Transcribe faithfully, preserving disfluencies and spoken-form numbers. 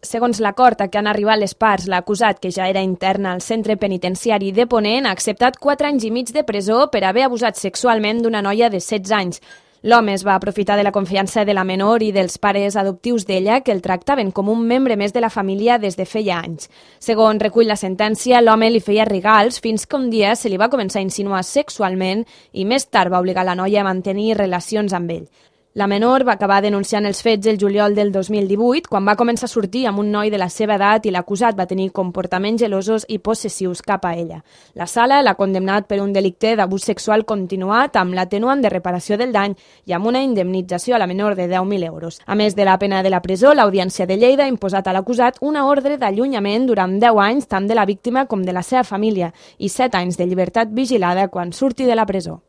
Segons l'acord a què han arribat les parts, l'acusat, que ja era intern al centre penitenciari de Ponent, ha acceptat quatre anys i mig de presó per haver abusat sexualment d'una noia de setze anys. L'home es va aprofitar de la confiança de la menor i dels pares adoptius d'ella, que el tractaven com un membre més de la família des de feia anys. Segons recull la sentència, l'home li feia regals fins que un dia se li va començar a insinuar sexualment i més tard va obligar la noia a mantenir relacions amb ell. La menor va acabar denunciant els fets el juliol del dos mil divuit, quan va començar a sortir amb un noi de la seva edat i l'acusat va tenir comportaments gelosos i possessius cap a ella. La sala l'ha condemnat per un delicte d'abús sexual continuat amb l'atenuant de reparació del dany i amb una indemnització a la menor de deu mil euros. A més de la pena de la presó, l'Audiència de Lleida ha imposat a l'acusat una ordre d'allunyament durant deu anys tant de la víctima com de la seva família i set anys de llibertat vigilada quan surti de la presó.